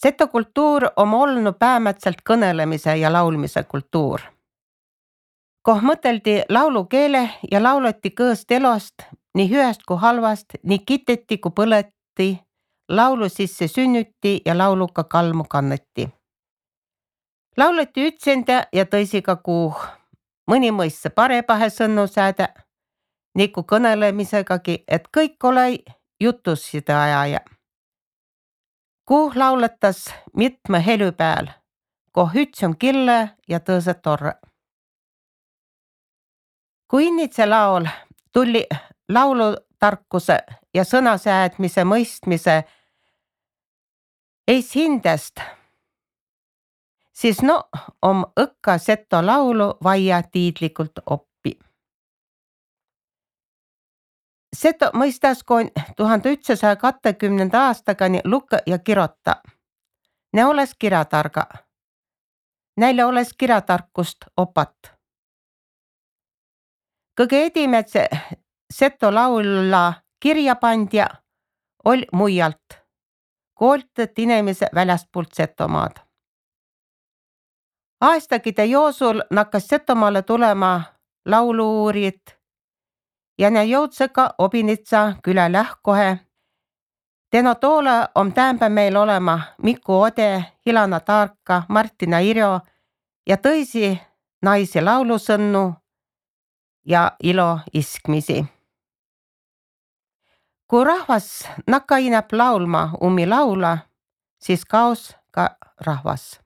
Seto kultuur om olnu päämätselt kõnõlemise ja laulmise kultuur. Koh mõteldi laulukeele ja lauleti kõõst elost, nii hüest kui halvast, nii kiteti kui põleti, laulu sisse sünnüti ja lauluga kalmu kanneti. Lauleti ütsende ja tõisiga kuuh. Mõni mõisse parepahe sõnnu säädä, niku kõnelemisegagi, et kõik ole jutus sida ajaja. Kuuh lauletas mitme helü pääl, koh üts on kille ja tõõsõ torre. Kui innitse laul tulli laulutarkuse ja sõnasäädmise mõistmise eis hindest, siis om õkka seto laulu vaia tiidlikult oppi. Seto mõistas koon 1920. aastagani lukka ja kirota. Ne oles kirjatarga. Näile oles kirjatarkust opat. Kõige edimetse seto laula kirjapandja ol muialt, kooltet inemise väljastpoolt Setomaad. Aastakide joosul nakkas Setomaale tulema laulu-uurijad ja ne jõudsega Obinitsa külä lähkohe. Teno toole om täämbä meil olema Miku Ode, Hilana Taarka, Martina Irjo ja tõisi naisi laulusõnnu ja ilo iskmisi. Kui rahvas nakka inäp laulma ummi laula, siis kaos ka rahvas.